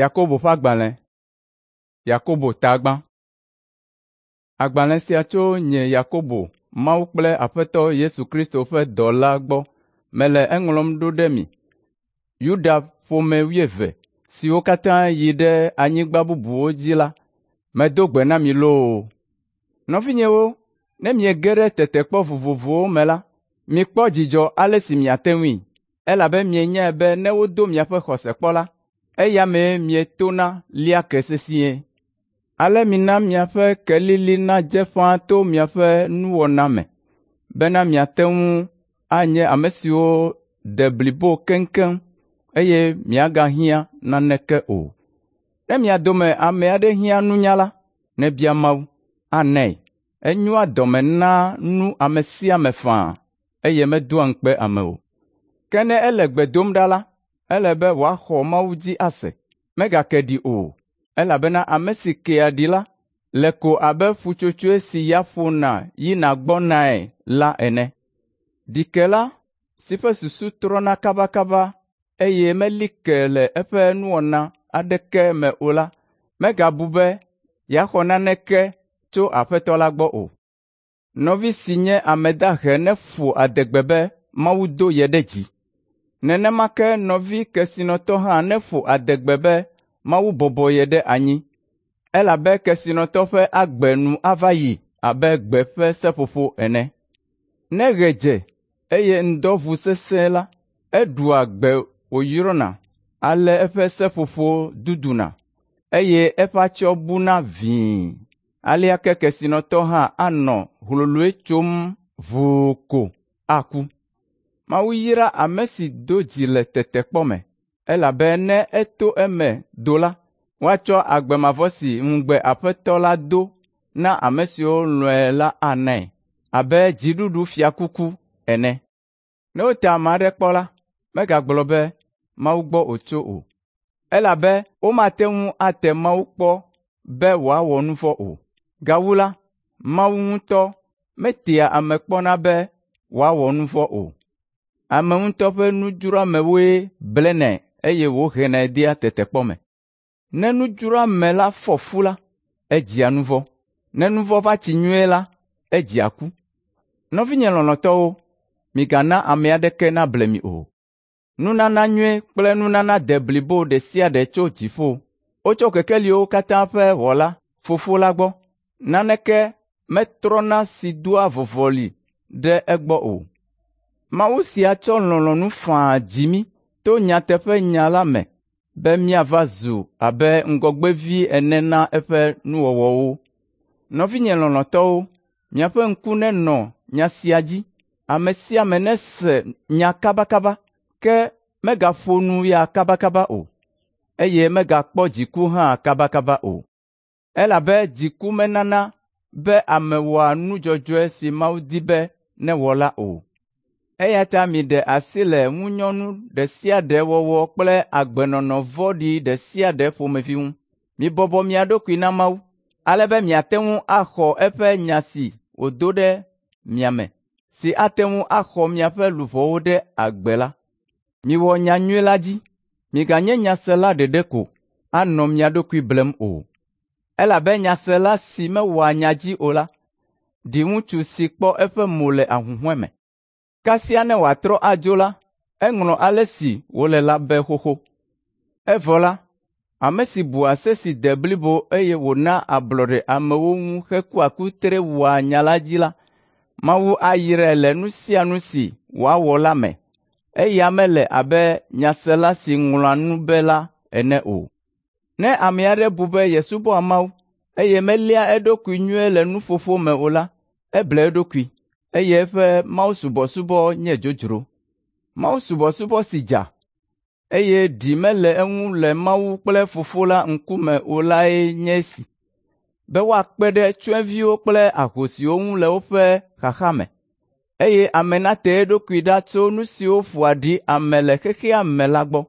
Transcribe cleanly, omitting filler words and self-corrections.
Yakobo ƒe agbalẽ. Yakobo ta gbã. Agbalẽ sia tso nye Yakobo, Mawu kple Aƒetɔ Yesu Kristo ƒe dɔla gbɔ mele eŋlɔm ɖo ɖe mi, Yuda ƒome wuieve siwo katã yi ɖe anyigba bubuwo dzi la, medo gbe na mi loo! Nɔvinyewo, ne miege ɖe tetekpɔ vovovowo me la, mikpɔ dzidzɔ ale si miate ŋui, elabe mienyae be ne wodo miaƒe xɔse kpɔ la, eya mee mietona lia ke sesĩe. Ale mina miaƒe kelili nadze ƒãa to miaƒe nuwɔna me, bena miate ŋu anye ame siwo de blibo keŋkeŋ, eye miagahiã naneke o. Ne mia dome ame aɖe hiã nunya la, nebia Mawu, anae. Enyoa dɔme naa nu ame sia ame faa, eye medoa ŋukpe ame o. Ke ne ele gbe dom ɖa la, ele be wòaxɔ Mawu dzi ase, megake ɖi o, elabena ame si kea ɖi la le ko abe ƒutsotsoe si ya ƒona yina gbɔnae la ene. Ɖikela si ƒe susu trɔna kabakaba eye meli ke le eƒe nuwɔna aɖeke me o la, megabu be yeaxɔ naneke tso Aƒetɔ la gbɔ o. Nɔvi si nye ame dahe neƒo adegbe be Mawu do ye ɖe dzi. Nenema ke nɔvi kesinɔtɔ hã neƒo adegbe be Mawu bɔbɔ ye ɖe anyi, elabe kesinɔtɔ ƒe agbe nu ava yi abe gbe ƒe seƒoƒo ene. Ne ɣe dze eye ŋdɔ ʋu sesĩe la, eɖua gbe wòyrɔna ale eƒe seƒoƒo duduna, eye eƒe atsyɔ̃ buna vĩi. Alea ke kesinɔtɔ hã anɔ hloloe tsom ʋuu ko aku. Mawu yra ame si do dzi le tetekpɔ me, elabe ne eto eme do la, woatsɔ agbe mavɔ si ŋugbe Aƒetɔ la do na ame siwo lɔ̃e la anae abe dziɖuɖufiakuku ene. Ne wote ame aɖe kpɔ la, megagblɔ be Mawu gbɔ wòtso o, elabe womate ŋu ate Mawu kpɔ be wòawɔ nu vɔ̃ o. Gawu la, Mawu ŋutɔ metea ame kpɔna be wòawɔ nu vɔ̃ o. Ame ŋutɔ ƒe nudzroamewoe blenɛ eye wòhenɛ dea tetekpɔ me. Ne nudzroame la fɔ fu la, edzia nu vɔ̃. Ne nu vɔ̃ va tsi nyuie la, edzia ku. Nɔvinye lɔlɔ̃tɔwo, migana ame aɖeke nable mi o. Nunana nyui kple nunana deblibo ɖe sia ɖe tso dziƒo. Wotso kekeliwo katã ƒe Wɔla, Fofo la gbɔ. Naneke metrɔna si doa vɔvɔli ɖe egbɔ o. Mawu sia tsɔ lɔlɔ̃nu faa dzi mí to nyateƒenya la me be míava zu abe ŋgɔgbevi ene na eƒe nuwɔwɔwo. Nɔvinye lɔlɔ̃tɔwo, miaƒe ŋku nenɔ nya sia dzi. Ame sia ame nese nya kabakaba, ke megaƒo nu ya kabakaba o, eye megakpɔ dziku hã kabakaba o. Elabe dziku menana be ame wɔa nu dzɔdzɔe si Mawu di be newɔ la o. Eya ta miɖe asi le ŋunyɔnu ɖe sia ɖe wɔwɔ kple agbenɔnɔ vɔ̃ɖi ɖe sia ɖe ƒomevi ŋu. Mibɔbɔ mia ɖokui na Mawu, ale be miate ŋu axɔ eƒe nya si wòdo ɖe mia me, si ate ŋu axɔ miaƒe luʋɔwo ɖe agbe la. Miwɔ nyanyui la dzi. Miganye nyasela ɖeɖe ko anɔ mia ɖokui blem o. Elabe nyasela si mewɔa nya dzi o la, ɖi ŋutsu si kpɔ eƒe mo le ahuhɔ̃e me. Kasia ne wòatrɔ adzo la, eŋlɔ ale si wòle la be xoxo. Evɔ la, ame si bua se si de blibo eye wòna ablɔɖe amewo ŋu hekua kutre wɔa nya la dzi la, Mawu ayrae le nu sia nu si wòawɔ la me. Eya mele abe nyasela si ŋlɔa nu be la ene o. Ne ame aɖe bu be yesubɔa Mawu, eye meléa eɖokui nyuie le nuƒoƒo me o la, eble eɖokui, eye eƒe mawusubɔsubɔ nye dzodzro. Mawusubɔsubɔ si dza, eye ɖi mele eŋu le Mawu kple Fofo la ŋkume o lae nye esi: be woakpe ɖe tsyɔ̃eviwo kple ahosiwo ŋu le woƒe xaxa me, eye ame nate eɖokui ɖa tso nu siwo ƒoa ɖi ame le xexea me la gbɔ.